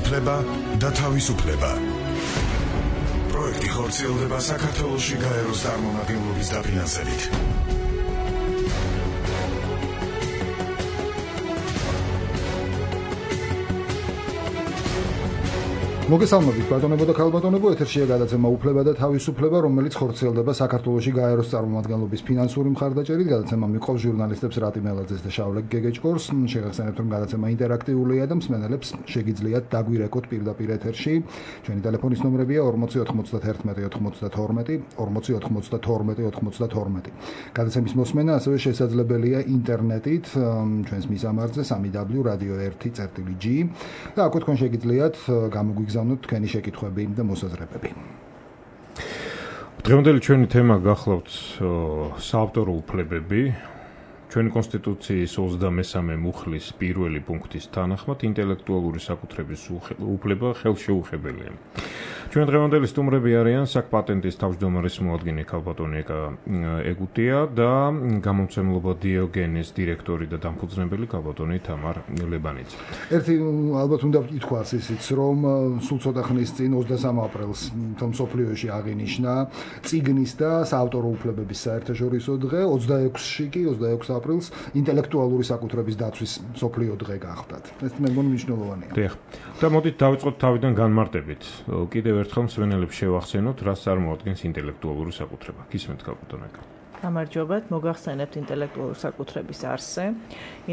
უფლება და თავისუფლება. პროექტი ხორციელდება საქართველოში გაეროს წარმომადგენლობის დაფინანსებით. მოგესალმებით ბატონებო და ქალბატონებო, ეთერშია გადაცემა უფლება და თავისუფლება, რომელიც ხორციელდება საქართველოში გაეროს წარმომადგენლობის ფინანსური მხარდაჭერით. გადაცემა მიყვავს ჟურნალისტებს რატი მელაძეს და შავლე გეგეჭკორს. შეგახსენებთ, რომ გადაცემა ინტერაქტიულია და მსმენელებს შეგიძლიათ დაგვირეკოთ პირდაპირ ეთერში. ჩვენი ტელეფონის ნომრებია 409192 4092. გადაცემის მოსმენა ასევე შესაძლებელია ინტერნეტით, ჩვენს მისამართზე www.radio1.g და აქვე თქვენ შეგიძლიათ გამოგვიგზავნოთ თქვენი შეკითხვები და მოსაზრებები. დღევანდელი ჩვენი თემა გახლავთ საავტორო უფლებები. ჩვენი კონსტიტუციის 23 მუხლის პირველი პუნქტის თანახმად ინტელექტუალური საკუთრების უფლება ხელშეუხებელია. ჩვენ დღევანდელი სტუმრები არიან საკ-პატენტის თავმჯდომარის მოადგილე ქალბატონი ეგუტია და გამომცემლობა დიოგენეს დირექტორი და დამფუძნებელი ქალბატონი თამარ ლებანიძე. ერთი ალბათ უნდა ითქვას ისიც, რომ სულ ცოტა ხნის წინ 23 აპრილს მსოფლიოში აღინიშნა წიგნის და საავტორო უფლებების საერთაშორისო დღე, 26 აპრილს ინტელექტუალური საკუთრების დაცვის მსოფლიო დღე გახდათ. ეს მე მგონი მნიშვნელოვანია. დიახ. და მოდით დავიწყოთ თავიდან განმარტებით. კიდევ ერთხელ მსმენელებს შევახსენოთ, რას წარმოადგენს ინტელექტუალური საკუთრება. გისმენთ ქალბატონი. გამარჯობათ, მოგახსენებთ ინტელექტუალური საკუთრების არსზე.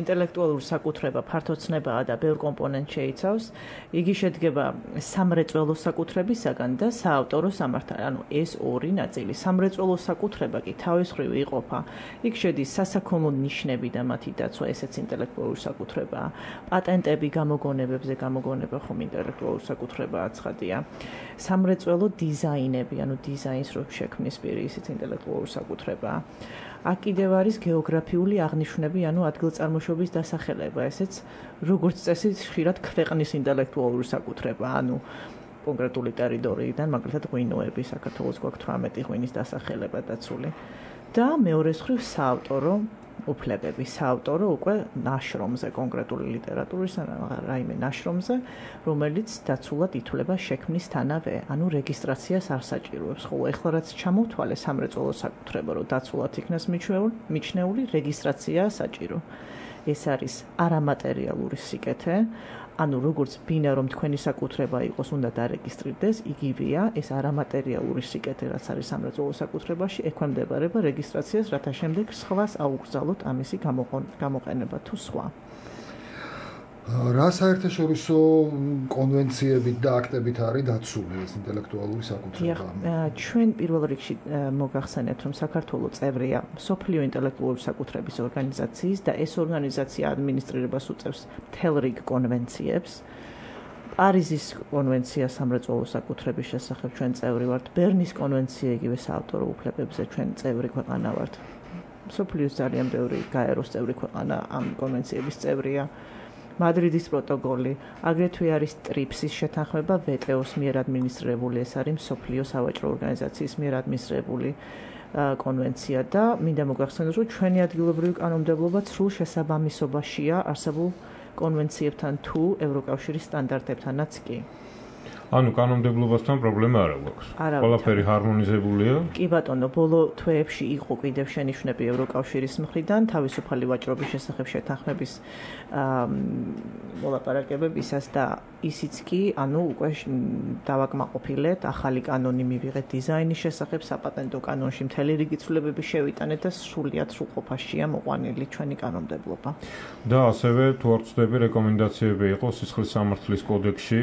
ინტელექტუალური საკუთრება ფართოცნებაა და ბევრ კომპონენტს შეიცავს. იგი შედგება სამრეწველო საკუთრებისაგან და საავტორო სამართალ. ანუ ეს ორი ნაწილი. სამრეწველო საკუთრება კი თავის მხრივ იყოფა. იქ შედის სასაქონლო ნიშნები და მათი დაცვა, ესეც ინტელექტუალური საკუთრებაა. პატენტები გამოგონებებზე გამოგონება ხომ ინტელექტუალური საკუთრებაა ცხადია. სამრეწველო დიზაინები, ანუ დიზაინს რო შექმნის პირი, ისიც ინტელექტუალური საკუთრებაა. აქ კიდევ არის გეოგრაფიული აღნიშვნები, ანუ ადგილწარმოშობის დასახელება, ესეც როგორც წესი ხშირად ქვეყნის ინტელექტუალური საკუთრება, ანუ კონკრეტული ტერიტორიიდან, მაგალითად ღვინოები, საქართველოს გვაქვს 18 ღვინის დასახელება დაცული. და მეორეს მხრივ საავტორო უფლებები, საავტორო უკვე ნაშრომზე, კონკრეტული ლიტერატურის რაიმე ნაშრომზე, რომელიც დაცულად ითვლება შექმნის თანავე, ანუ რეგისტრაციას არ საჭიროებს. ხოლო ეხლა რაც ჩამოვთვალე სამრეწველო საკუთრება, რომ დაცულად იქნას მიჩნეული, რეგისტრაციაა საჭირო. ეს არის არამატერიალური სიკეთე, ანუ როგორც ბინა რომ თქვენი საკუთრება იყოს, უნდა დარეგისტრირდეს, იგივეა ეს არამატერიალური სიკეთე, რაც არის სამრეწველო საკუთრებაში, ექვემდებარება რეგისტრაციას, რათა შემდეგ სხვას აუგზავნოთ ამისი გამოყენება თუ სხვა. რა საერთაშორისო კონვენციებით და აქტებით არის დაცული ეს ინტელექტუალური საკუთრება? ჩვენ პირველ რიგში მოგახსენებთ, რომ საქართველო წევრია მსოფლიო ინტელექტუალური საკუთრების ორგანიზაციის და ეს ორგანიზაცია ადმინისტრირებას უწევს მთელ რიგ კონვენციებს. პარიზის კონვენცია სამრეწველო საკუთრების შესახებ ჩვენ წევრი ვართ, ბერნის კონვენცია იგივე საავტორო უფლებებზე ჩვენ წევრი ქვეყანა ვართ. მსოფლიოს ძალიან ბევრი გაეროს წევრი ქვეყანა ამ კონვენციების წევრია. მადრიდის პროტოკოლი, აგრეთვე არის ტრიპსის შეთანხმება ვტო-ს მიერ ადმინისტრირებული, ეს არის მსოფლიო სავაჭრო ორგანიზაციის მიერ ადმინისტრირებული კონვენცია და მინდა მოგახსენოთ, რომ ჩვენი ადგილობრივი კანონმდებლობა სრულ შესაბამისობაშია არსებულ კონვენციებთან თუ ევროკავშირის სტანდარტებთანაც კი. ანუ კანონმდებლობასთან პრობლემა არ აქვს. ყველაფერი ჰარმონიზებულია. კი ბატონო, ბოლო თვეებში იყო კიდევ შენიშვნები ევროკავშირის მხრიდან თავისუფალი ვაჭრობის შესახებ შეთანხმების მოლაპარაკებებისას და ისიც კი, ანუ უკვე დავაკმაყოფილეთ, ახალი კანონი მივიღეთ დიზაინის შესახებ, საპატენტო კანონში მთელი რიგი ცვლილებები შევიტანეთ და სრულიად სრულყოფაშია მოყვანილი ჩვენი კანონმდებლობა. და ასევე თუ არ ვცდები, რეკომენდაციები იყო სისხლის სამართლის კოდექსში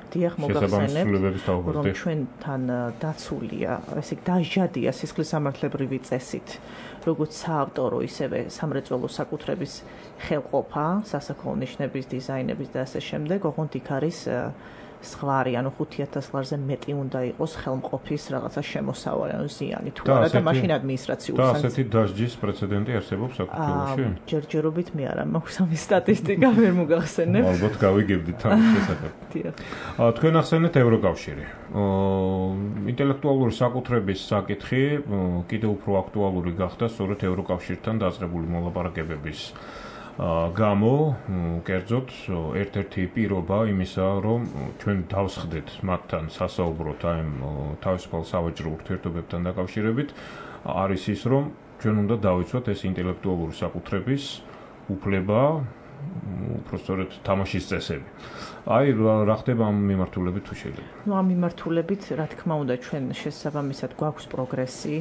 დიახ, მოგახსენებთ, რომ ჩვენთან დაცულია, ესე იგი დაჟადია სისხლის სამართლებრივი წესით, როგორც საავტორო, ისევე სამრეწველო საკუთრების ხელყოფა, სასაქონლო ნიშნების, დიზაინების და ასე შემდეგ, ოღონდ იქ არის სხვარი, ანუ 5000 ლარზე მეტი უნდა იყოს ხელმყოფის რაღაცა შემოსავალი, ანუ ზიანი თუ არა და მაშინ ადმინისტრაციული და ასეთი დასჯის პრეცედენტი არსებობს საქართველოში? ჯერჯერობით მე არა მაქვს ამის სტატისტიკა, ვერ მოგახსენებ. ალბათ გავიგებდით ამის შესახებ. თქვენ ახსენეთ ევროკავშირი. ინტელექტუალური საკუთრების საკითხი კიდევ უფრო აქტუალური გახდა სწორედ ევროკავშირთან დაწყებული მოლაპარაკებების გამო კერძოდ ერთ-ერთი პირობა იმისა, რომ ჩვენ დავსხდეთ მათთან სასაუბროთ აი თავისუფალ სავაჭრო ურთიერთობებთან დაკავშირებით, არის ის, რომ ჩვენ უნდა დავიცვათ ეს ინტელექტუალური საკუთრების უფლება, უბრალოდ თამაშის წესები. აი რა ხდება ამ მიმართულებით თუ შეიძლება? ამ მიმართულებით, რა თქმა უნდა, ჩვენ შესაბამისად გვაქვს პროგრესი.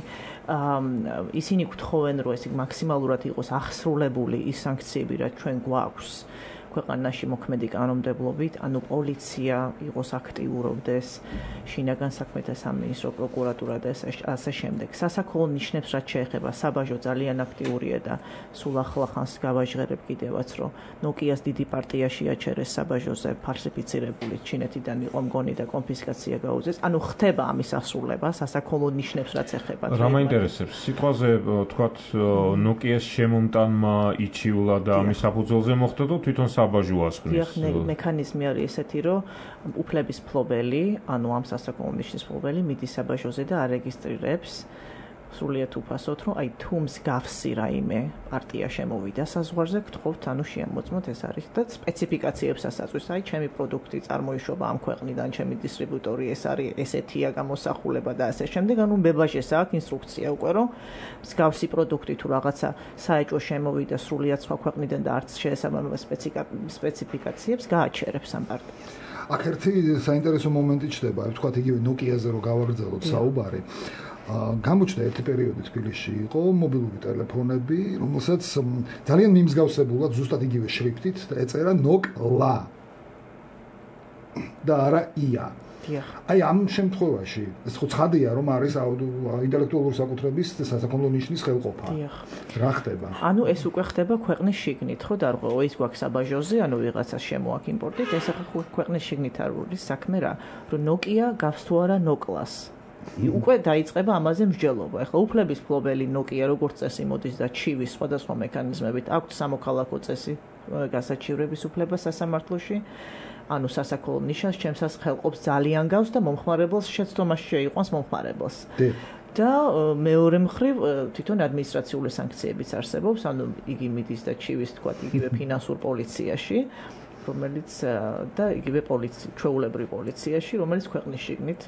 ისინი გთხოვენ, რომ ეს მაქსიმალურად იყოს აღსრულებული ის სანქციები, რაც ჩვენ გვაქვს ქვეყანაში მოქმედი კანონმდებლობით, ანუ პოლიცია იყოს აქტიურობდეს, შინაგან საქმეთა სამინისტრო, პროკურატურა და ასე შემდეგ. სასაქონლო ნიშნებს რაც შეეხება, საბაჟო ძალიან აქტიურია და სულ ახლახანს გავაჟღერებ კიდევაც, რომ ნოკიას დიდი პარტია შეაჩერეს საბაჟოზე ფალსიფიცირებული ჩინეთიდან იყო მგონი და კონფისკაცია გაუწეს. ანუ ხდება ამის ასრულება სასაქონლო ნიშნებს რაც ეხება. რა მაინტერესებს? სიტყვაზე თქვათ ნოკიას შემომტანმა იჩიულა და ამის საფუძველზე მოხდა და თვითონ საბაჟო ასხნის. მექანიზმი არის ესეთი, რომ უფლების მფლობელი, ანუ ამ სასაქონლო ნიშნის მფლობელი მიდის საბაჟოზე და არეგისტრირებს სრულიად უფასოდ, რომ აი თუ მსგავსი რაიმე პარტია შემოვიდა საზღვარზე, გთხოვთ, ანუ შეამოწმოთ ეს არის და სპეციფიკაციებსაც აწვის, აი ჩემი პროდუქტი წარმოიშობა ამ ქვეყნიდან, ჩემი დისტრიბუტორი ეს არის, ესეთია გამოსახულება და ასე შემდეგ, ანუ ბებაჟეს აქვს ინსტრუქცია უკვე, რომ მსგავსი პროდუქტი თუ რაღაცა საეჭვო შემოვიდა სრულიად სხვა ქვეყნიდან და არც შეესაბამება სპეციფიკაციებს, გააჩერებს ამ პარტიას. აქ ერთი საინტერესო მომენტი ჩდება, ვთქვათ იგივე ნოკიაზე რო გავაგრძელოთ საუბარი. გამოჩნდა ერთი პერიოდი თბილისში იყო მობილური ტელეფონები, რომელსაც ძალიან მიმსგავსებულად ზუსტად იგივე შრიფტით ეწერა ნოკლა და არა ია. აი ამ შემთხვევაში ეს ხო ცხადია რომ არის ინტელექტუალური საკუთრების სასაქონლო ნიშნის ხელყოფა. რა ხდება? ანუ ეს უკვე ხდება ქვეყნის შიგნით, ხო დარღვევა ის გვაქვს საბაჟოზე, ანუ ვიღაცა შემოაქვს იმპორტით, ეს ახლა ქვეყნის შიგნით არის საქმე რა, რომ ნოკია გავს თუ არა ნოკლას. უკვე დაიწყება ამაზე მსჯელობა. ახლა უფლების მფლობელი ნოკია როგორც წესი მოდის და ჩივის სხვადასხვა მექანიზმებით აქვს სამოქალაქო წესი გასაჩივრების უფლება სასამართლოში. ანუ სასაქონლო ნიშანს ჩემსას ხელყოფს ძალიან გავს და მომხმარებელს შეცდომაში შეიყვანს მომხმარებელს. და მეორე მხრივ თვითონ ადმინისტრაციული სანქციებიც არსებობს, ანუ იგი მიდის და ჩივის თქვა იგივე ფინანსურ პოლიციაში, რომელიც და იგივე ჩვეულებრივ პოლიციაში, რომელიც ქვეყნის შიგნით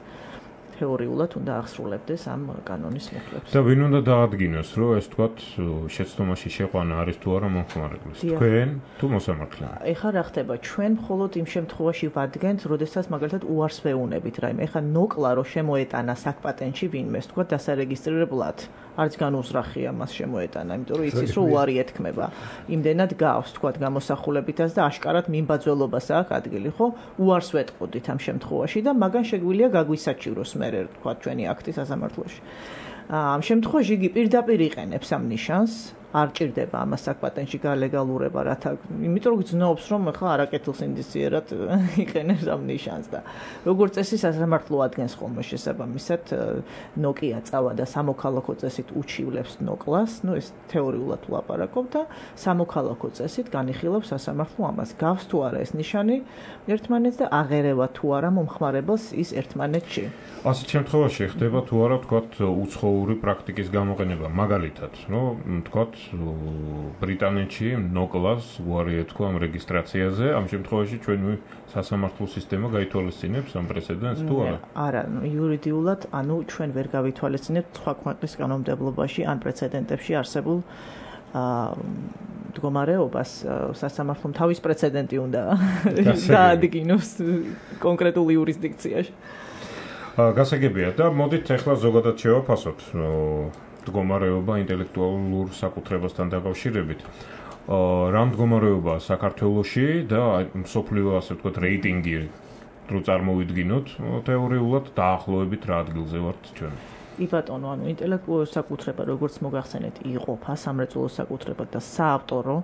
თეორიულად უნდა აღსრულებდეს ამ კანონის მუხლებს. და ვინ უნდა დაადგინოს, რომ ეს თქვათ შეცდომაში შეყვანა არის თუ არა მომხმარებლის? თქვენ თუ მოსამართლე? ეხლა რა ხდება? ჩვენ მხოლოდ იმ შემთხვევაში ვადგენთ, როდესაც მაგალითად უარს ვეუნებით რაიმე. ეხლა ნოკლა რო შემოეტანა საკპატენტში ვინმეს, თქვათ დასარეგისტრირებლად, არც განუზრახია მას შემოეტანა, იმიტომ რომ იცის რომ უარი ეთქმება. იმდენად გავს, თქვათ გამოსახულებითაც და აშკარად მიმბაძველობას აქვს ადგილი, ხო? უარს ვეტყოდით ამ შემთხვევაში და მაგან შეგვიძლია გაგვისაჩივროს მე თქვა ჩვენი აქტი სასამართლოში. ამ შემთხვევაში იგი პირდაპირ იყენებს ამ ნიშანს, არ ჭირდება ამას საკპატენტში გალეგალურება, რათა იმიტომ რომ გძნობს რომ ახლა არაკეთილს ინდიციერად იყენებს ამ ნიშანს და როგორც წესი სასამართლო ადგენს ხოლმე შესაბამისად ნოკია წავა და სამოქალაქო წესით უჩივლებს ნოკლას, ну ეს თეორიულად ვლაპარაკობ და სამოქალაქო წესით განიხილავს სასამართლო ამას. გავს თუ არა ეს ნიშანი ერთმანეთს და აღერევა თუ არა მომხმარებელს ის ერთმანეთში. ასეთ შემთხვევაში ხდება თუ არა თქვათ უცხოური პრაქტიკის გამოყენება, მაგალითად, რომ თქვათ ბრიტანეთში ნოკლას უარი ეთქვა ამ რეგისტრაციაზე, ამ შემთხვევაში ჩვენი სასამართლო სისტემა გაითვალისწინებს ამ პრეცედენტს თუ არა? არა, იურიდიულად, ანუ ჩვენ ვერ გავითვალისწინებთ სხვა ქვეყნის კანონმდებლობაში ან პრეცედენტებში არსებულ მდგომარეობას სასამართლომ თავის პრეცედენტი უნდა დაადგინოს კონკრეტულ იურისდიქციაში. გასაგებია და მოდით ახლა ზოგადად შევაფასოთ მდგომარეობა ინტელექტუალურ საკუთრებასთან დაკავშირებით. რა მდგომარეობაა საქართველოში და მსოფლიო ასე ვთქვათ რეიტინგი რო წარმოვიდგინოთ, თეორიულად დაახლოებით რა ადგილზე ვართ ჩვენ? ბატონო, ანუ ინტელექტუალური საკუთრება, როგორც მოგახსენეთ, იყოფა სამრეწველო საკუთრებად და საავტორო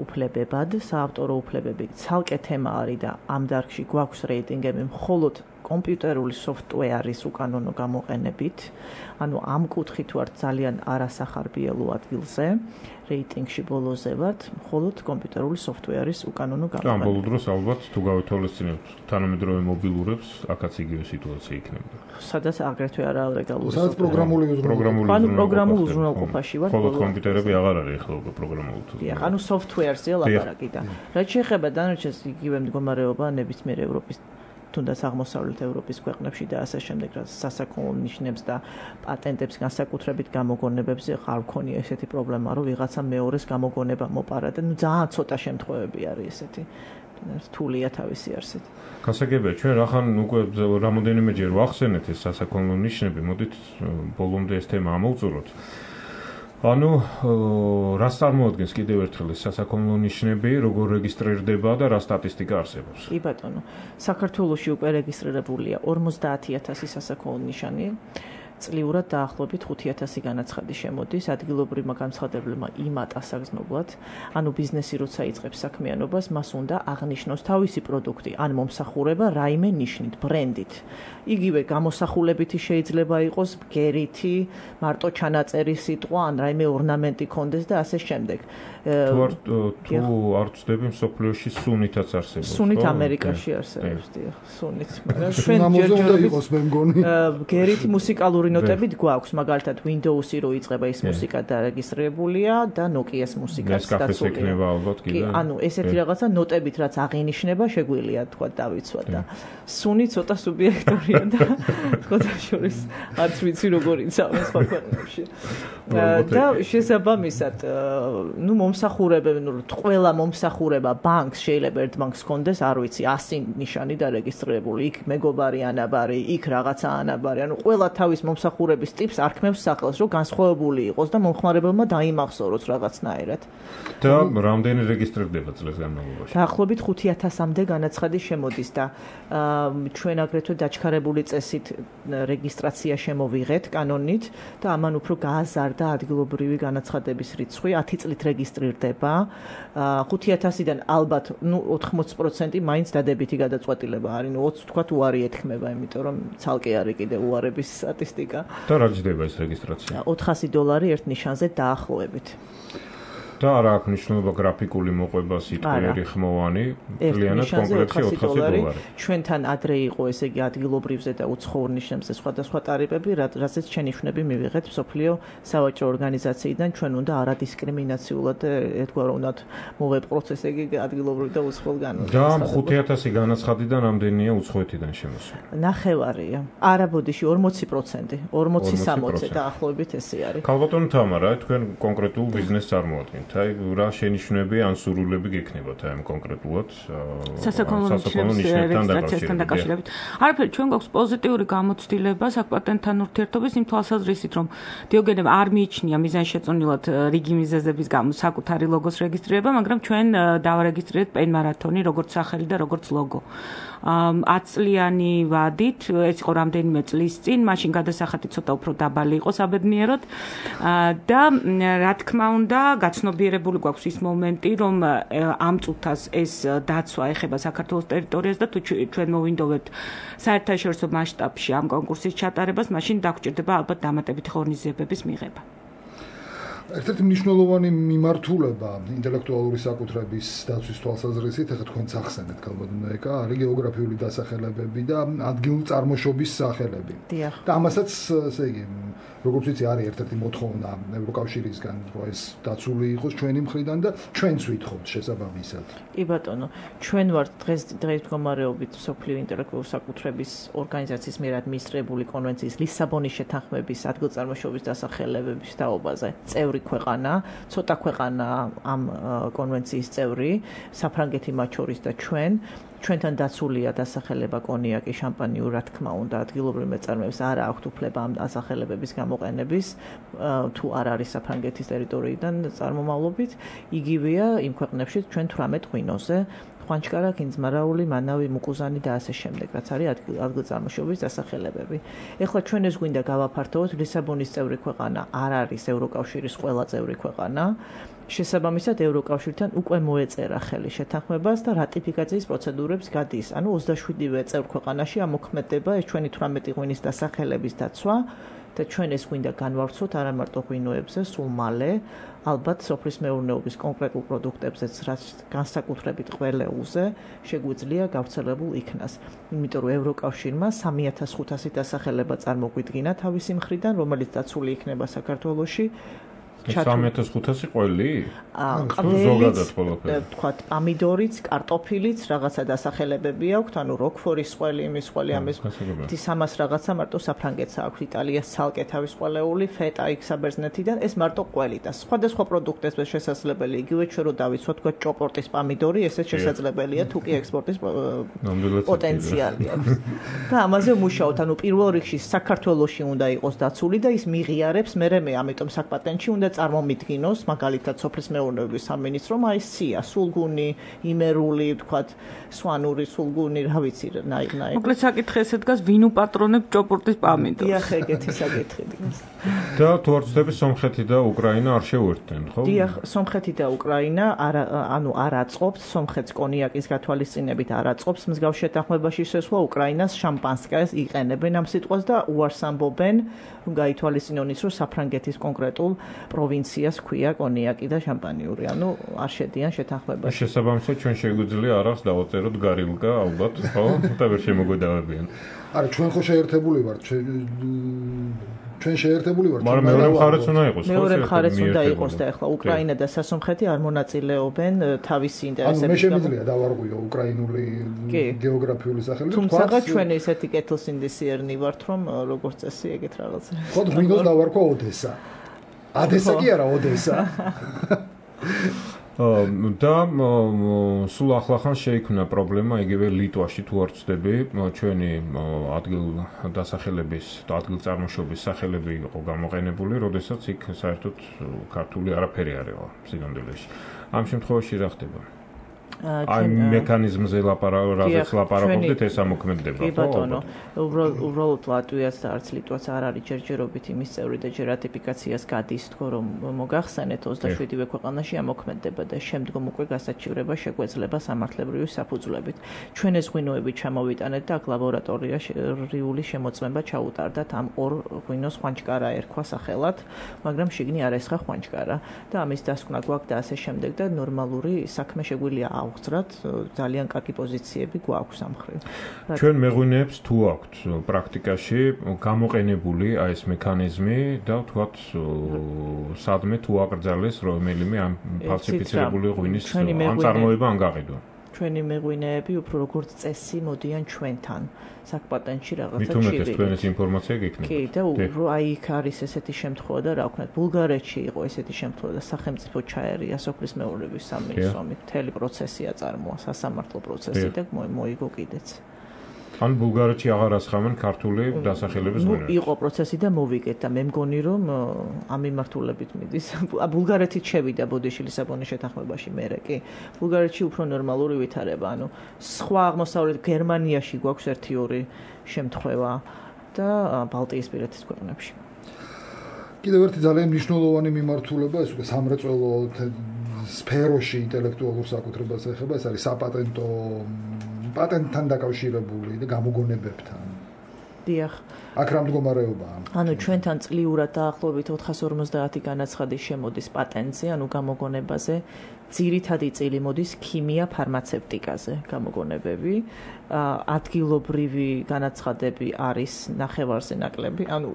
უფლებებად. საავტორო უფლებები ცალკე თემა არის და ამ დარგში გვაქვს რეიტინგები მხოლოდ კომპიუტერული სოფტვერის უკანონო გამოყენებით, ანუ ამ კუთხით ვართ ძალიან არასახარბიელო ადგილზე, რეიტინგში ბოლოზე ვართ, მხოლოდ კომპიუტერული სოფტვერის უკანონო გამოყენებით. ამ ბოლო დროს ალბათ თუ გავეთვალისწინებთ თანამედროვე მობილურებს, აქაც იგივე სიტუაცია იქნება. სადაც აგრეთვე არალეგალური. სადაც პროგრამული უზრუნველყოფაში ვართ. მხოლოდ კომპიუტერები აღარ არის ახლა უკვე პროგრამული თუ. დიახ, ანუ სოფტვერზე ლაპარაკი და რაც შეეხება დანარჩენს იგივე მდგომარეობა ნებისმიერ ევროპის თუნდაც აღმოსავლეთ ევროპის ქვეყნებში და ასე შემდეგ, რაც სასაქონლო ნიშნებს და პატენტებს განსაკუთრებით გამოგონებებზე არ ქონია ესეთი პრობლემა, რომ ვიღაცა მეორეს გამოგონება მოპარა და ძალიან ცოტა შემთხვევები არის ესეთი. რთულია თავისი არსით. გასაგებია, ჩვენ რახან უკვე რამოდენიმეჯერ ვახსენეთ ეს სასაქონლო ნიშნები, მოდით ბოლომდე ეს თემა ამოვწუროთ. ანუ რას წარმოადგენს კიდევ ერთხელ ეს სასაქონლო ნიშნები, როგორ რეგისტრირდება და რა სტატისტიკა არსებობს? კი ბატონო, საქართველოში უკვე რეგისტრირებულია 50,000 სასაქონლო ნიშანი. წლიურად დაახლოებით 5,000 განაცხადი შემოდის ადგილობრივმა განცხადებლებმა იმათ ასაგრძნობლად, ანუ ბიზნესი როცა იწყებს საქმიანობას, მას უნდა აღნიშნოს თავისი პროდუქტი, ან მომსახურება რაიმე ნიშნით, ბრენდით. იგივე გამოსახულებითი შეიძლება იყოს, ბგერითი, მარტო ჩანაწერი სიტყვა, ან რაიმე ორნამენტი კონდეს და ასე შემდეგ. თუ არ ვწდები მსოფლიოში სუნითაც არსებობს. სუნით ამერიკაში არსებობს, დიახ, სუნით. მაგრამ ჩვენ ჯერჯერობით იყოს მე მგონი. ბგერითი მუსიკალური ნოტებით გვაქვს, მაგალითად Windows-ი რო იწყება ის მუსიკა დარეგისტრირებულია და Nokia-s მუსიკაც დაცულია. ექნება ალბათ კიდე. კი, ანუ ესეთი რაღაცა ნოტებით რაც აღინიშნება, შეგვიძლია თქვა დავიცვა და სუნი ცოტა სუბიექტურია და თქვა შორის არც ვიცი როგორ იცავენ სხვა ქვეყნებში. და შესაბამისად, ნუ მომსახურებები, ნუ ყველა მომსახურება ბანკს შეიძლება ერთ ბანკს კონდეს, არ ვიცი, 100 ნიშანი დარეგისტრირებული, იქ მეგობარი ანაბარი, იქ რაღაცა ანაბარი, ანუ ყველა თავის მომსახურების ტიპს არქმევს სახელს, რომ განსხვავებული იყოს და მომხმარებელმა დაიმახსოვროს რაღაცნაირად. და რამდენი რეგისტრირდება წლების განმავლობაში? დაახლოებით 5,000-მდე განაცხადი შემოდის და ჩვენ აგრეთვე დაჩქარებული წესით რეგისტრაცია შემოვიღეთ კანონით და ამან უფრო გააზარდა ადგილობრივი განაცხადების რიცხვი, 10 წლით რეგისტრირდება. 5,000-დან ალბათ, ნუ 80% მაინც დადებითი გადაწყვეტილება არის, ნუ 20 თქვათ უარი ეთქმება, იმიტომ რომ ცალკე არის კიდე უარების სტატისტიკა. და რა ჯდება ეს რეგისტრაცია? $400 ერთ ნიშანზე დაახლოებით. და არა აქვს მნიშვნელობა გრაფიკული მოყვება სიტყვიერი ხმოვანი, კლიანად კონკრეტში $400. ჩვენთან ადრე იყო ესე იგი ადგილობრივზე და უცხოურ ნიშნებზე სხვადასხვა ტარიფები, რასაც შენიშვნები მივიღეთ მსოფლიო სავაჭრო ორგანიზაციიდან, ჩვენ უნდა არადისკრიმინაციულად ერთგვაროვნად მოვეპყროთ ესე იგი ადგილობრივ და უცხოელ განმავლობაში. და 5,000 განაცხადიდან რამდენია უცხოეთიდან შემოსული? ნახევარია. არა ბოდიში 40%, 40-60 დაახლოებით ესე არის. ქალბატონო თამარა, თქვენ კონკრეტულ ბიზნესს წარმოადგენთ. აი რა შენიშვნები ან სურვილები გექნებათ აი ამ კონკრეტულად სასაქონლო ნიშნებთან დაკავშირებით. არაფერი, ჩვენ გვაქვს პოზიტიური გამოცდილება საკპატენტთან ურთიერთობის იმ თვალსაზრისით, რომ დიოგენემ არ მიიჩნია მიზანშეწონილად რიგი მიზეზების გამო საკუთარი ლოგოს რეგისტრირება, მაგრამ ჩვენ დავარეგისტრირეთ პენ მარათონი როგორც სახელი და როგორც ლოგო. 10 წლიანი ვადით, ეს იყო რამდენიმე წლის წინ, მაშინ გადასახადი ცოტა უფრო დაბალი იყო საბედნიეროდ და რა თქმა უნდა, გაცნობიერებული გვაქვს ის მომენტი, რომ ამ წუთას ეს დაცვა ეხება საქართველოს ტერიტორიას და თუ ჩვენ მოვინდოვებთ საერთაშორისო მასშტაბში ამ კონკურსის ჩატარებას, მაშინ დაგვჭირდება ალბათ დამატებითი ღონისძიებების მიღება. ერთ-ერთი მნიშვნელოვანი მიმართულება ინტელექტუალური საკუთრების დაცვის თვალსაზრისით, ახლა თქვენც ახსენეთ ქალბატონეკა, არის გეოგრაფიული დასახელებები და ადგილწარმოშობის სახელები. და ამასაც, ესე იგი, როგორც ვიცი, არის ერთ-ერთი მოთხოვნა ევროკავშირისგან, რომ ეს დაცული იყოს ჩვენი მხრიდან და ჩვენც ვითხოვთ შესაბამისად. კი ბატონო, ჩვენ ვართ დღეს მდგომარეობით მსოფლიო ინტელექტუალური საკუთრების ორგანიზაციის მიერ ადმინისტრირებული კონვენციის ლისაბონის შეთანხმების ადგილწარმოშობის დასახელებების თაობაზე წევრი ქვეყანა, ცოტა ქვეყანა ამ კონვენციის წევრი, საფრანგეთი მათ შორის და ჩვენთან დაცულია დასახელება კონიაკი, შამპანი, რა თქმა უნდა, ადგილობრივ მეწარმეებს არ აქვთ უფლება ამ დასახელებების გამოყენების, თუ არ არის საფრანგეთის ტერიტორიიდან წარმომავლობით, იგივეა იმ ქვეყნებში ჩვენ 18 ღვინოზე ხვანჩკარა, კინძმარაული, მანავი, მუკუზანი და ასე შემდეგ, რაც არის ადგილზარმოშობის დასახელებები. ეხლა ჩვენ ეს გვინდა გავაფართოვოთ, ლისაბონის წევრი ქვეყანა არ არის ევროკავშირის ყველა წევრი ქვეყანა. შესაბამისად ევროკავშირთან უკვე მოეწერა ხელი შეთანხმებას და რატიფიკაციის პროცედურებს გადის. ანუ 27-ვე წევრ ქვეყანაში ამოქმედება ეს ჩვენი 18 ღვინის დასახელების დაცვა და ჩვენ ეს გვინდა განვავრცოთ არა მარტო ღვინოებზე, სულ მალე, ალბათ სოფლის მეურნეობის კონკრეტულ პროდუქტებზეც, რაც განსაკუთრებით ყველეულზე შეგვიძლია გავრცელებულ იქნას. იმიტომ რომ ევროკავშირმა 3500 დასახელება წარმოგვიდგინა თავისი მხრიდან, რომელიც დაცული იქნება საქართველოში. 3500 ყველი? ზოგადად ყველაფერი. თქვათ, პამიდორიც, კარტოფილიც, რაღაცა დასახელებები აქვთ, ანუ როკვფორის ყველი, იმის ყველი, ამის 300 რაღაცა მარტო საფრანგეთს აქვს, იტალიას ცალკე თავის ყველეული, ფეტა იქ საბერძნეთიდან, ეს მარტო ყველი და სხვადასხვა პროდუქტებზე შესაძლებელი, იგივე ჩვენ რო დავიცვათ, თქვათ, ჭოპორტის პამიდორი, ესეც შესაძლებელია, თუ კი ექსპორტის პოტენციალი აქვს. და ამაზე ვმუშაობთ, ანუ პირველ რიგში საქართველოში უნდა იყოს დაცული და ის მიღიარებს, მე ამიტომ საკპატენტში უნდა წარმომიდგინოს, მაგალითად, სოფლის მეურნეობის სამინისტრომ აი სია, სულგუნი, იმერული, ვთქვათ, სვანური სულგუნი, რა ვიცი, ნაირ. მოკლედ საკითხი ესე დგას, ვინ უპატრონებს ჭოპორტის პამიდორს? დიახ, ეგეთი საკითხი დგას. და თუ არ ვცდები, სომხეთი და უკრაინა არ შეუერთდნენ, ხო? დიახ, სომხეთი და უკრაინა არ აწყობთ, სომხეთს კონიაკის გათვალისწინებით არ აწყობს მსგავს შეთანხმებაში შესვლა, უკრაინას შამპანსკაეს იყენებენ ამ სიტყვას და უარს ამბობენ, რომ გაითვალისწინონ ის, რომ საფრანგეთის კონკრეტულ პროვინციას ქვია კონიაკი და შამპანიური, ანუ არ შედიან შეთანხმებაში. შესაბამისად, ჩვენ შეგვიძლია არას დავაწეროთ გარილკა, ალბათ, ხო? და ვერ შემოგვედავებიან. არა, ჩვენ ხო შეერთებული ვართ, ჩვენ შეერთებული ვართ. მაგრამ მეორე მხარეც უნდა იყოს, ხო? მეორე მხარეც უნდა იყოს და ახლა უკრაინა და სასომხეთი არ მონაწილეობენ თავისი ინტერესების. ანუ მე შემიძლია დავარღვიო უკრაინული გეოგრაფიული სახელით. თუმცა ჩვენ ესეთი კეთილსინდისიერნი ვართ, რომ როგორც წესი ეგეთ რაღაცა. ხო, მინდოს დავარქვა ოდესა. ადესა კი არა, ოდესა. და სულ ახლახან შეიქმნა პრობლემა იგივე ლიტვაში თუ არ ვცდები, ჩვენი ადგილ დასახელების და ადგილ წარმოშობის სახელები იყო გამოყენებული, როდესაც იქ საერთოდ ქართული არაფერი არ იყო სინამდვილეში. ამ შემთხვევაში რა ხდება? აი მექანიზმზე რაზეც ლაპარაკობდით, ეს ამოქმედება, ხო? კი ბატონო, უბრალოდ ლატვიას და არც ლიტვას არ არის ჯერჯერობით იმის წევრი და ჯერ რატიფიკაციას გადის, თქო რომ მოგახსენეთ 27-ვე ქვეყანაში ამოქმედება და შემდგომ უკვე გასაჩივრება შეგვეძლება სამართლებრივი საფუძვლებით. ჩვენ ეს ღვინოები ჩამოვიტანეთ და აქ ლაბორატორიული შემოწმება ჩაუტარდათ ამ ორ ღვინოს ხვანჩკარა ერქვა სახელად, მაგრამ შიგნი არ ესხა ხვანჩკარა და ამის დასკვნა გვაქვს და ასე შემდეგ და ნორმალური საქმე შეგვიძლია ავხსრათ, ძალიან კარგი პოზიციები გვაქვს ამ მხრივ. ჩვენ მეღვინეებს თუ აქვთ პრაქტიკაში გამოყენებული აი ეს მექანიზმი და თქვათ სადმე თუ აკრძალეს რომელიმე ამ ფალსიფიცირებული ღვინის ან წარმოება ან გაყიდვა. ჩვენი მეღვინეები უფრო როგორც წესი მოდიან ჩვენთან საკპატენტში რაღაცა ჩივი. მithumetes თქვენ ეს ინფორმაცია გექნებათ. კი, და აი იქ არის ესეთი შემთხვევა და რა ვქნათ, ბულგარეთში იყო ესეთი შემთხვევა და სახელმწიფო ჩაერია სოფლის მეურნეობის სამინისტრომ, მთელი პროცესი აწარმოა, სასამართლო პროცესი და მოიგო კიდეც. ან ბულგარეთში აღარ ასხამენ ქართული დასახელების ღვინოებს. იყო პროცესი და მოვიგეთ და მე მგონი რომ ამ მიმართულებით მიდის. ბულგარეთით შევიდა ბოდიში ლისაბონის შეთანხმებაში მერე კი. ბულგარეთში უფრო ნორმალური ვითარება, ანუ სხვა აღმოსავლეთ გერმანიაში გვაქვს 1-2 შემთხვევა და ბალტიისპირეთის ქვეყნებში. კიდევ ერთი ძალიან მნიშვნელოვანი მიმართულება, ეს უკვე სამრეწველო სფეროში ინტელექტუალურ საკუთრებას ეხება, ეს არის საპატენტო პატენტთან დაკავშირებული და გამოგონებებთან. დიახ. აქ რა მდგომარეობაა? ანუ ჩვენთან წლიურად დაახლოებით 450 განაცხადი შემოდის პატენტზე, ანუ გამოგონებაზე. ძირითადი წილი მოდის ქიმია, ფარმაცევტიკაზე გამოგონებები. ადგილობრივი განაცხადები არის ნახევარზე ნაკლები, ანუ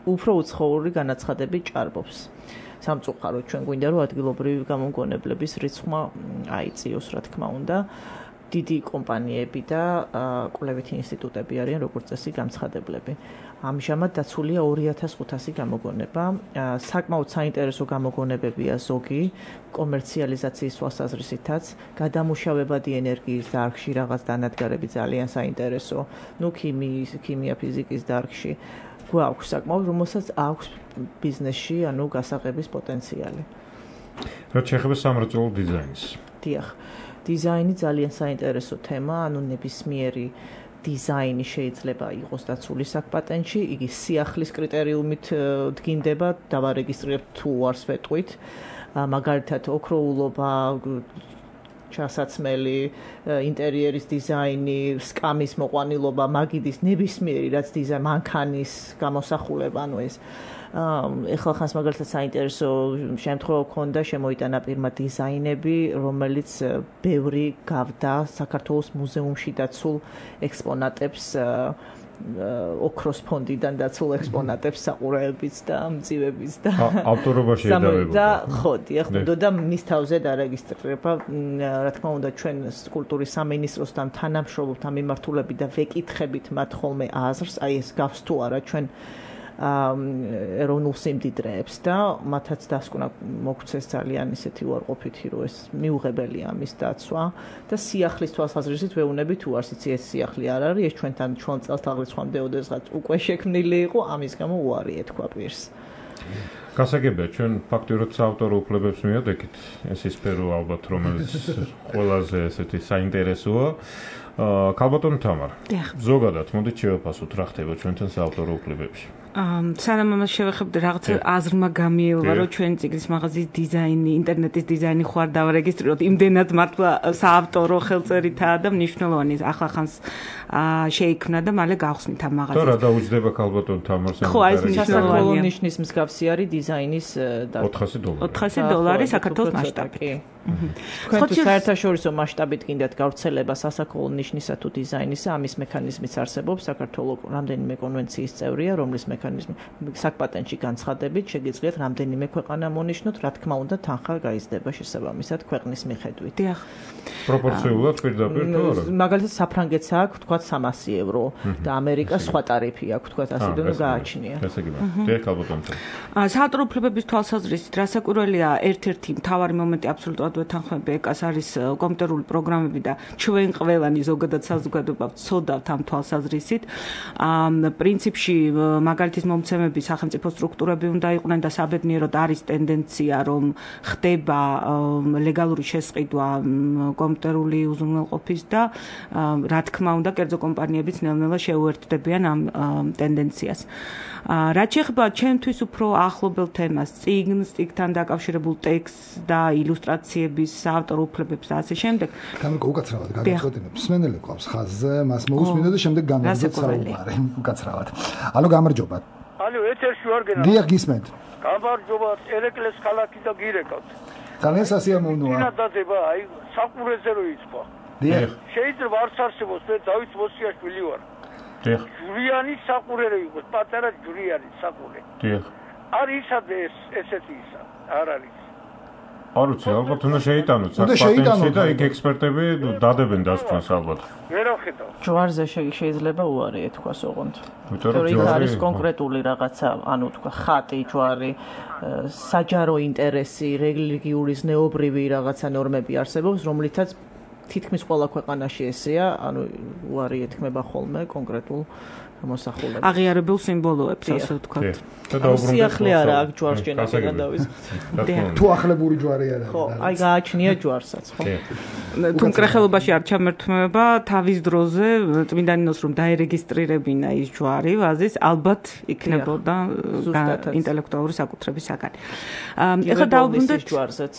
უფრო უცხოური განაცხადები ჭარბობს. სამწუხაროდ ჩვენ გვინდა რომ ადგილობრივი გამოგონებლების რიცხვმა აიწიოს, რა თქმა უნდა. დიდი კომპანიები და კვლევითი ინსტიტუტები არიან როგორც წესი გამცხადებლები. ამჟამად დაცულია 2500 გამოგონება. საკმაოდ საინტერესო გამოგონებებია ზოგი კომერციალიზაციის თვალსაზრისითაც, გადამუშავებადი ენერგიის დარგში რაღაც დანადგარები ძალიან საინტერესო. ნუ ქიმია, ფიზიკის დარგში გვაქვს საკმაოდ, რომელსაც აქვს ბიზნესში, ანუ გასაღების პოტენციალი. რაც შეეხება სამრეწველო დიზაინს. დიახ. დიზაინი ძალიან საინტერესო თემა, ანუ ნებისმიერი დიზაინი შეიძლება იყოს დაცული საკ-პატენტში, იგი სიახლის კრიტერიუმით დგინდება, დავარეგისტრირებთ თუ არს ვეტყვით. მაგალითად, ოქროულობა, ჩასაცმელი, ინტერიერის დიზაინი, სკამის მოყვანილობა, მაგიდის ნებისმიერი რაც დიზაინი, მანქანის გამოსახულება, ანუ ეს ეხლა ხანს მაგალითად საინტერესო შემთხვევა ქონდა, შემოიტანა პირმა დიზაინები, რომელიც ბევრი გავდა საქართველოს მუზეუმში დაცულ ექსპონატებს ოქროს ფონდიდან დაცულ ექსპონატებს საყურეებიც და მძივებიც და ავტორობაში ედავებოდა. ხო, დიახ, და მის თავზე დარეგისტრირება, რა თქმა უნდა, ჩვენ კულტურის სამინისტროსთან თანამშრომლობთ ამ მიმართულებით და ვეკითხებით მათ ხოლმე აზრს, აი ეს გავს თუ არა ჩვენ ეროვნულ სიმდიდრეებს და მათაც დასკვნა მოგცეს ძალიან ისეთი უარყოფითი, რომ ეს მიუღებელია ამის დაცვა და სიახლის თვალსაზრისით ვეუბნები თუ არც იცი ეს სიახლე არ არის, ეს ჩვენთან ჩვენ წელთაღრიცხვამდე ოდესღაც უკვე შექმნილი იყო, ამის გამო უარი ეთქვა პირს. გასაგებია, ჩვენ ფაქტიურად საავტორო უფლებებს მიადექით, ეს ის სფერო ალბათ, რომელიც ყველაზე ესეთი საინტერესოა. ქალბატონო თამარ, ზოგადად მოდით შევაფასოთ რა ხდება ჩვენთან საავტორო უფლებებში. სანამ ამას შევეხებდი, რაღაც აზრმა გამიელვა, რომ ჩვენი წიგნის მაღაზიის დიზაინი, ინტერნეტის დიზაინი ხო არ დავარეგისტრიროთ, იმდენად მართლა საავტორო ხელწერითაა და მნიშვნელოვანი ახლა ხანს შეიქმნა და მალე გავხსნით ამ მაღაზიას. თუ რა დაუჯდება ქალბატონ თამარს? ხო, ეს მნიშვნელოვანია. ნიშნის მსგავსი არის დიზაინის $400 საქართველოს მასშტაბით. თქვენ თუ საერთაშორისო მასშტაბით გინდათ გავრცელება სასაქოლო ნიშნისა თუ დიზაინისა, ამის მექანიზმიც არსებობს. საქართველოს რამდენიმე კონვენციის წევრია, რომლის მექანიზმი საკ-პატენტში განცხადებით შეგიძლიათ რამდენიმე ქვეყანა მონიშნოთ, რა თქმა უნდა, თანხა გაიზრდება შესაბამისად ქვეყნის მიხედვით. დიახ. პროპორციულად პირდაპირ თუ არა? მაგალითად, საფრანგეთს აქვს თქვა €300 და ამერიკას სხვა ტარიფი აქვს თქვა ასე და გააჩნია. დიახ, ქალბატონო. საავტორო უფლებების თვალსაზრისით რასაკვირველია, ერთ-ერთი მთავარი მომენტი აბსოლუტურად ვეთანხმები ეკას არის კომპიუტერული პროგრამები და ჩვენ ყველანი ზოგადად საზოგადოება ვცოდავთ ამ თვალსაზრისით. პრინციპში მაგალითის მომცემები სახელმწიფო სტრუქტურები უნდა იყვნენ და საბედნიეროდ არის ტენდენცია, რომ ხდება ლეგალური შესყიდვა კომპიუტერული უზრუნველყოფის და რა თქმა უნდა, კერძო კომპანიებიც ნელ-ნელა შეუერთდებიან ამ ტენდენციას. რაც შეეხება ჩემთვის უფრო ახლობელ თემას, წიგნთან დაკავშირებულ ტექსტს და ილუსტრაციების საავტორო უფლებებს და ასე შემდეგ. გამიგო უკაცრავად გაგაწყვეტინებ. მსმენელი ყავს ხაზზე, მას მოусმინო და შემდეგ გამარჯვებთ საუბარი. უკაცრავად. ალო გამარჯობა. ალო ეთერში ვარ გენა. დიახ, გისმენთ. გამარჯობა, ერეკლეს ქალაქი და გირეკავთ. ძალიან სასიამოვნოა. ინადადება, აი საყურეზე რო იწყო. დიახ. შეიძლება არც არსებობს, მე დავით მოსიაშვილი ვარ. დიახ. ჯვრიანი საყურე რო იყოს, პატარა ჯვრიანი საყურე. დიახ. არის ისად ესეთი ისა, არ არის. არ ვიცი, ალბათ უნდა შეიტანოთ საკ-პატენტში და იქ ექსპერტები დადებენ დასკვნას ალბათ. ვერ ვხედავ. ჯვარზე შეიძლება უარი ეთქვას ოღონდ. იმიტომ რომ იქ არის კონკრეტული რაღაცა, ანუ თქვა ხატი, ჯვარი, საჯარო ინტერესი, რელიგიური ზნეობრივი რაღაცა ნორმები არსებობს, რომლითაც თითქმის ყველა ქვეყანაში ესეა, ანუ უარი ეთქმება ხოლმე კონკრეტულ მოსახულებას. აღიარებულ სიმბოლოებს, ასე ვთქვათ. სიახლე არა აქ ჯვარს ჯენებიდან დავიზრდით. თუ ახლებური ჯვარი არა. ხო, აი გააჩნია ჯვარსაც, ხო? თუ მკრეხელობაში არ ჩამერთმება თავის დროზე წმინდანინოს რომ დაერეგისტრირებინა ის ჯვარი ვაზის, ალბათ იქნებოდა ინტელექტუალური საკუთრების საგანი. ეხლა დავუბრუნდეთ ჯვარსაც,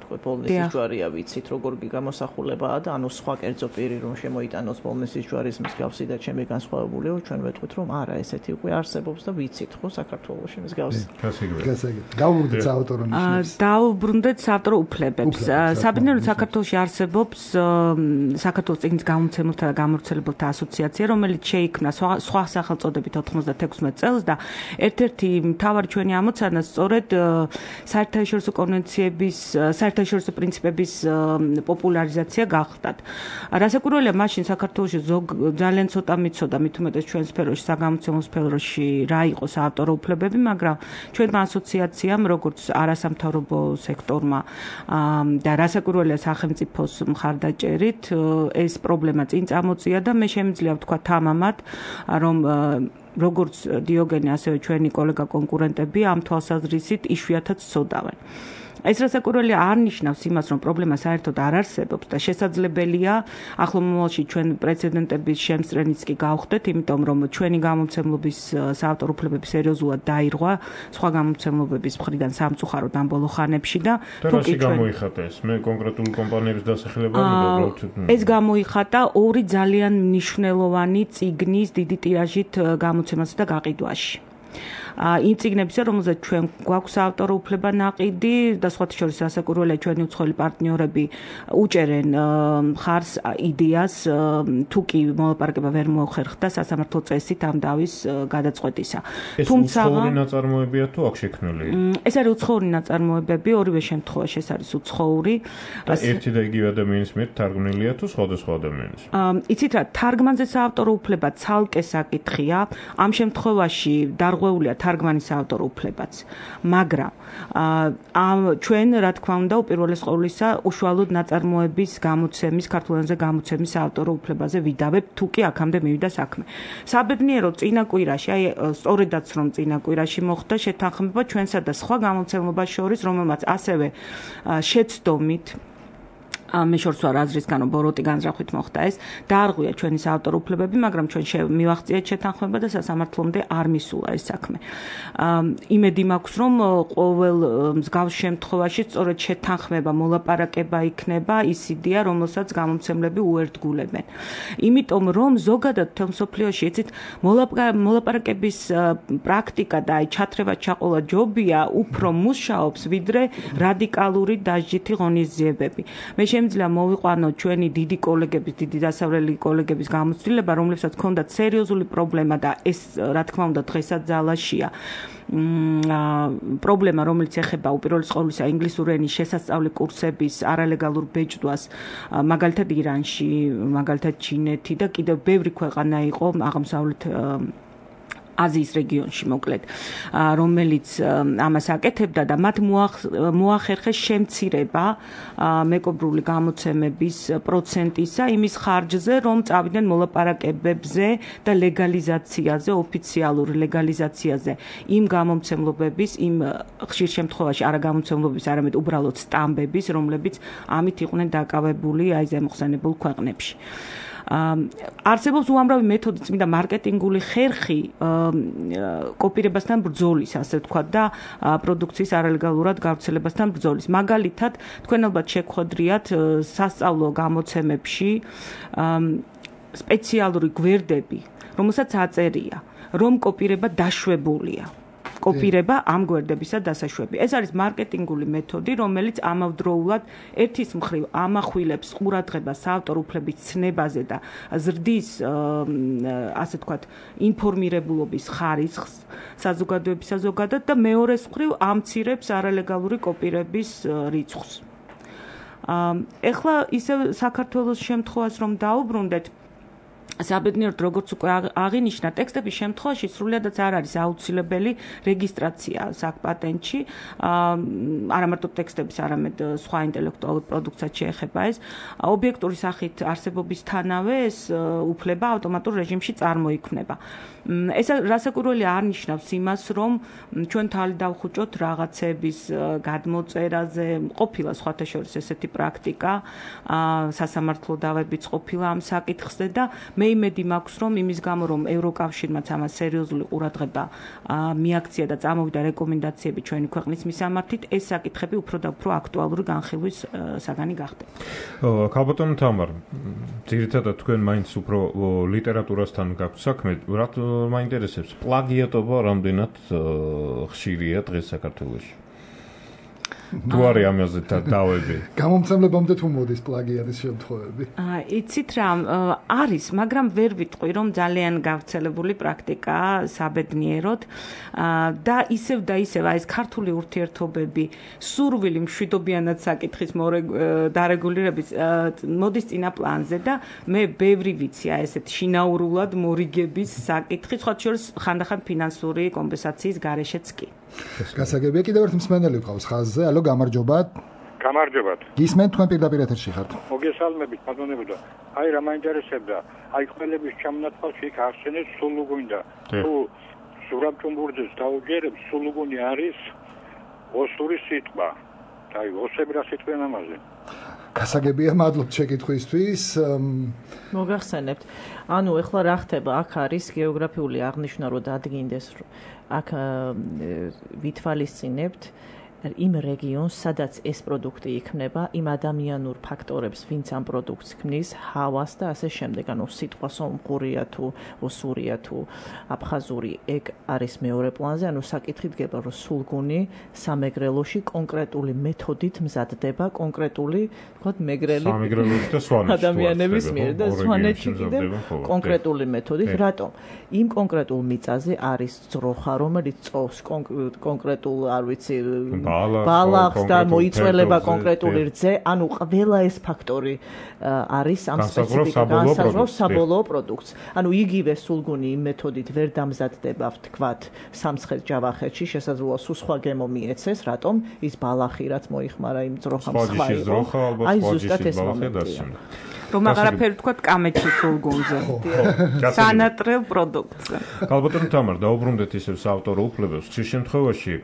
თქვა ბოლნისის ჯვარია, ვიცით როგორ გამოსახულებაა და ანუ სხვა კერძო პირი რომ შემოიტანოს ბოლნისის ჯვარის მსგავსი და ჩემი განსხვავებულიო, ჩვენ ვეთქვით რომ არა, ესეთი უკვე არსებობს და ვიცით ხო საქართველოში მსგავსი. გასაგებია. დავუბრუნდეთ საავტორო ნიშნებს. დავუბრუნდეთ საავტორო უფლებებს. საბედნიეროდ საქართველოში არსებობს საქართველოს წიგნის გამომცემელთა და გამავრცელებელთა ასოციაცია, რომელიც შეიქმნა სხვა სახელწოდებით 96 წელს და ერთ-ერთი მთავარი ჩვენი ამოცანა სწორედ საერთაშორისო კონვენციების, საერთაშორისო პრინციპების პოპულარიზაცია გახდათ. რასაკვირველია, მაშინ საქართველოში ძალიან ცოტა მიცოდა, მით უმეტეს ჩვენ სფეროში, საგამომცემლო სფეროში რა იყო საავტორო უფლებები, მაგრამ ჩვენმა ასოციაციამ, როგორც არასამთავრობო სექტორმა და რასაკვირველია სახელმწიფოს მხარდაჭერით, ეს პრობლემა წინ წამოწია და მე შემიძლია ვთქვა თამამად, რომ როგორც დიოგენე, ასევე ჩვენი კოლეგა კონკურენტები ამ თვალსაზრისით იშვიათად ცოდავენ. ეს რასაკვირველია არ ნიშნავს იმას, რომ პრობლემა საერთოდ არ არსებობს და შესაძლებელია ახლო მომავალში ჩვენ პრეცედენტების შემსწრენიც კი გავხდეთ, იმიტომ რომ ჩვენი გამომცემლობის საავტორო უფლებები სერიოზულად დაირღვა სხვა გამომცემლობების მხრიდან სამწუხაროდ ამ ბოლო ხანებში და თუკი გამოიხატა ეს მე კონკრეტული კომპანიების დასახელება უბრალოდ ეს გამოიხატა ორი ძალიან მნიშვნელოვანი წიგნის დიდი ტირაჟით გამოცემასა და გაყიდვაში. იმ წიგნებისა, რომელზეც ჩვენ გვაქვს ავტორო უფლება ნაყიდი და სხვათა შორის რასაკვირველია ჩვენი უცხოელი პარტნიორები უჭერენ ხარს იდეას თუ კი მოლაპარაკება ვერ მოხერხდა სასამართლო წესით ამ დავის გადაწყვეტისა. თუმცა უცხოური ნაწარმოებია თუ აქ შექმნილი? ეს არის უცხოური ნაწარმოებები, ორივე შემთხვევაში ეს არის უცხოური. და ერთი და იგივე ადამიანის მიერ თარგმნილია თუ სხვადასხვა ადამიანის? იცით რა, თარგმანზე საავტორო უფლება ცალკე საკითხია, ამ შემთხვევაში დარღვეულია თარგმანის ავტორო უფლებაც, მაგრამ ჩვენ რა თქმა უნდა უპირველეს ყოვლისა უშუალოდ ნაწარმოების გამოცემის, ქართულ ენაზე გამოცემის ავტორო უფლებაზე ვიდავებ, თუ კი აქამდე მივიდა საქმე. საბედნიეროდ წინა კვირაში, აი სწორედაც რომ წინა კვირაში მოხდა შეთანხმება ჩვენსა და სხვა გამომცემლობას შორის, რომელმაც ასევე შეცდომით მე შორს ვარ აზრისგან, რომ ბოროტი განზრახვით მოხდა ეს, დაარღვია ჩვენი საავტორო უფლებები, მაგრამ ჩვენ მივახციეთ შეთანხმება და სასამართლომდე არ მისულა ეს საქმე. იმედი მაქვს, რომ ყოველ მსგავს შემთხვევაში სწორედ შეთანხმება, მოლაპარაკება იქნება ის იდეა, რომელსაც გამომცემლები უერთგულებენ. იმიტომ რომ ზოგადად თელ მსოფლიოში, იცით, მოლაპარაკების პრაქტიკა და აი ჩათრევა ჩაყოლა ჯობია უფრო მუშაობს, ვიდრე რადიკალური დასჯითი ღონისძიებები. მე შემიძლია მოვიყვანო ჩვენი დიდი კოლეგების, დიდი დასავლელი კოლეგების გამოცდილება, რომლებსაც ჰქონდათ სერიოზული პრობლემა და ეს რა თქმა უნდა დღესაც ძალაშია. პრობლემა, რომელიც ეხება უპირველეს ყოვლისა ინგლისური ენის შესასწავლი კურსების არალეგალურ ბეჭდვას, მაგალითად ირანში, მაგალითად ჩინეთი და კიდევ ბევრი ქვეყანა იყო აღმოსავლეთ აზიის რეგიონში მოკლედ, რომელიც ამას აკეთებდა და მათ მოახერხეს შემცირება მეკობრული გამოცემების პროცენტისა იმის ხარჯზე, რომ წავიდნენ მოლაპარაკებებზე და ლეგალიზაციაზე, ოფიციალური ლეგალიზაციაზე იმ გამომცემლობების, იმ ხშირ შემთხვევაში არა გამომცემლობების, არამედ უბრალოდ სტამბების, რომლებიც ამით იყვნენ დაკავებული აი ზემოხსენებულ ქვეყნებში. არსებობს უამრავი მეთოდი, წმინდა მარკეტინგული ხერხი კოპირებასთან ბრძოლის, ასე ვთქვათ, და პროდუქციის არალეგალურად გავრცელებასთან ბრძოლის. მაგალითად, თქვენ ალბათ შეგხვედრიათ სასწავლო გამოცემებში სპეციალური გვერდები, რომელსაც აწერია, რომ კოპირება დაშვებულია. კოპირება ამ გვერდებისა დასაშვები. ეს არის მარკეტინგული მეთოდი, რომელიც ამავდროულად ერთის მხრივ ამახვილებს ყურადღებას საავტორო უფლების ცნებაზე და ზრდის, ასე ვთქვათ, ინფორმირებულობის ხარისხს საზოგადოებისა ზოგადად და მეორეს მხრივ ამცირებს არალეგალური კოპირების რიცხვს. ეხლა ისევ საქართველოს შემთხვევას რომ დაუბრუნდეთ, საბედნიეროდ როგორც უკვე აღინიშნა, ტექსტების შემთხვევაში სრულიადაც არ არის აუცილებელი რეგისტრაცია საკპატენტში, არა მარტო ტექსტების, არამედ სხვა ინტელექტუალურ პროდუქციას შეეხება ეს. ობიექტური სახით არსებობისთანავე ეს უფლება ავტომატურ რეჟიმში წარმოიქმნება. ეს რასაკვირველია არ ნიშნავს იმას, რომ ჩვენ თალი დავხუჭოთ რაღაცების გადმოწერაზე, ყოფილა სხვათა შორის ესეთი პრაქტიკა, სასამართლო დავებიც ყოფილა ამ საკითხზე და მე იმედი მაქვს, რომ იმის გამო, რომ ევროკავშირმაც ამას სერიოზული ყურადღება მიაქცია და წამოვიდა რეკომენდაციები ჩვენი ქვეყნის მისამართით, ეს საკითხები უფრო და უფრო აქტუალური განხილვის საგანი გახდება. ქალბატონო თამარ, ძირითადად თქვენ მაინც უფრო ლიტერატურასთან გაქვთ საქმე, მაინტერესებს პლაგიატობა რამდენად ხშირია დღეს საქართველოში? თუ არის ამაზე დავები. გამომცემლებამდე თუ მოდის პლაგიატის შემთხვევები? იცით რა, არის, მაგრამ ვერ ვიტყვი, რომ ძალიან გავრცელებული პრაქტიკაა საბედნიეროდ და ისევ და ისევ ეს ქართული ურთიერთობები, სურვილი მშვიდობიანად საკითხის დარეგულირების მოდის წინა პლანზე და მე ბევრი ვიცი ესეთ შინაურულად მორიგების საკითხი, სხვა შორის ხანდახან ფინანსური კომპენსაციის გარეშეც კი. გასაგებია, კიდევ ერთ მსმენელი ვყავს ხაზზე. ალო, გამარჯობათ. გამარჯობათ. გისმენთ, თქვენ პირდაპირ ეთერში ხართ. მოგესალმებით, ბატონებო. აი რა მაინტერესებდა, აი ყველების ჩამონათვალში იქ ახსენეთ სულუგუნდა. თუ სურამჭუმბურძეს დაუჯერებს, სულუგუნი არის ოსური სიტყვა. აი, ოსები რა სიტყვიან ამაზე? გასაგებია, მადლობთ შეკითხვისთვის. მოგახსენებთ. ანუ ეხლა რა ხდება? აქ არის გეოგრაფიული აღნიშვნა, რომ დადგინდეს, აქ ვითვალისწინებთ იმ რეგიონს, სადაც ეს პროდუქტი იქმნება, იმ ადამიანურ ფაქტორებს, ვინც ამ პროდუქტს ქმნის, ჰავას და ასე შემდეგ. ანუ სიტყვა სომხურია თუ ოსურია თუ აფხაზური, ეგ არის მეორე პლანზე. ანუ საკითხი დგება, რომ სულგუნი სამეგრელოში კონკრეტული მეთოდით მზადდება, კონკრეტული, ვთქვათ, მეგრელი ადამიანების მიერ და სვანეთში კიდევ კონკრეტული მეთოდით. რატომ? იმ კონკრეტულ მიწაზე არის ძროხა, რომელიც წოვს კონკრეტულ, არ ვიცი, ბალახს და მოიწველება კონკრეტული რძე, ანუ ყველა ეს ფაქტორი არის ამ სპეციფიკას საბოლოო პროდუქტს. ანუ იგივე სულგუნი იმ მეთოდით ვერ დამზადდება, ვთქვათ, სამცხეთ-ჯავახეთში, შესაძლოა სულ სხვა გემო მიეცეს, რატომ? ის ბალახი, რაც მოიხმარა იმ ძროხამ სხვა იყო. აი ზუსტად ეს მომენტია. რომ აღარაფერი თქვა კამეჩი სულგუნზე. სანატრელ პროდუქტზე. ალბათ თამარ დაუბრუნდეთ ისევ საავტორო უფლებებს. ხშირ შემთხვევაში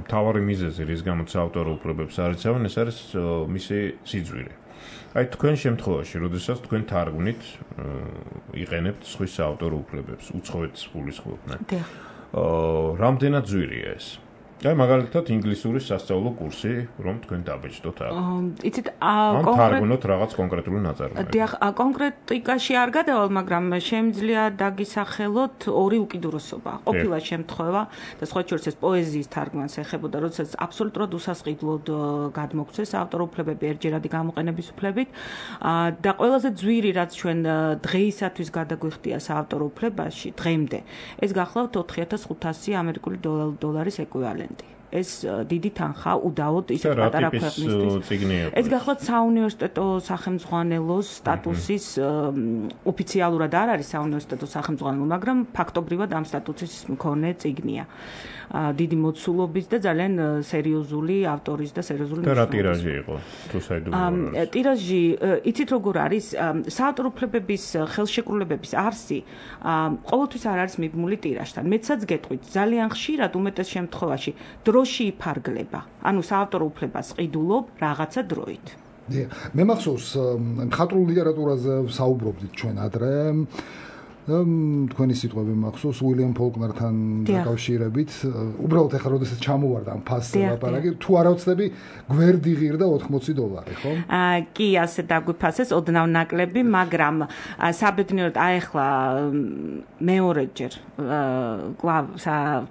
მთავარი მიზეზი, რის გამოც საავტორო უფლებებს არ იცავენ, ეს არის მისი სიძვირე. აი თქვენ შემთხვევაში, როდესაც თქვენ თარგმნით, იყენებთ სხვის საავტორო უფლებებს, უცხოეთის ფულის ხმობდნენ. რამდენად ძვირია ეს? აი მაგალითად ინგლისურის სასწავლო კურსი, რომ თქვენ დაბეჭდოთ აქ. იცით, თარგმნოთ რაღაც კონკრეტული ნაწარმოები. დიახ, კონკრეტიკაში არ გადავალ, მაგრამ შემიძლია დაგისახელოთ ორი უკიდურესობა. ყოფილა შემთხვევა და სხვა შორის ეს პოეზიის თარგმანს ეხებოდა, როდესაც აბსოლუტურად უსასყიდლოდ გადმოგცეს ავტორ უფლებები ერთჯერადი გამოყენების უფლებით და ყველაზე ძვირი, რაც ჩვენ დღეისათვის გადაგვიხდია საავტორო უფლებაში, დღემდე, ეს გახლავთ 4500 ამერიკული დოლარის ეკვივალენტი. ეს დიდი თანხა უდაოდ ისეთ პატარა ქვეყნისთვის. ეს გახლავთ საუნივერსიტეტო სახელმძღვანელოს სტატუსის ოფიციალურად არ არის საუნივერსიტეტო სახელმძღვანელო, მაგრამ ფაქტობრივად ამ სტატუსის მქონე წიგნია. დიდი მოცულობის და ძალიან სერიოზული ავტორის და სერიოზული და რა ტირაჟი იყო? თუ საიდუმლო ტირაჟი, იცით როგორ არის? საავტორო უფლებების ხელშეკრულებების არსი ყოველთვის არ არის მიბმული ტირაჟთან. მეცაც გეტყვით, ძალიან ხშირად უმეტეს შემთხვევაში დროში იფარგლება. ანუ საავტორო უფლებას ყიდულობ რაღაცა დროით. მე მახსოვს მხატვრულ ლიტერატურაზე საუბრობდით ჩვენ ადრე. თქვენი სიტყვები მახსოვს უილიამ ფოლკნერთან დაკავშირებით. უბრალოდ ახლა როდესაც ჩამოვარდა ამ ფასზე ლაპარაკი, თუ არა ვცდები, გვერდი ღირდა $80, ხო? კი, ასე დაგვიფასეს ოდნავ ნაკლები, მაგრამ საბედნიეროდ ახლა მეორეჯერ კვლავ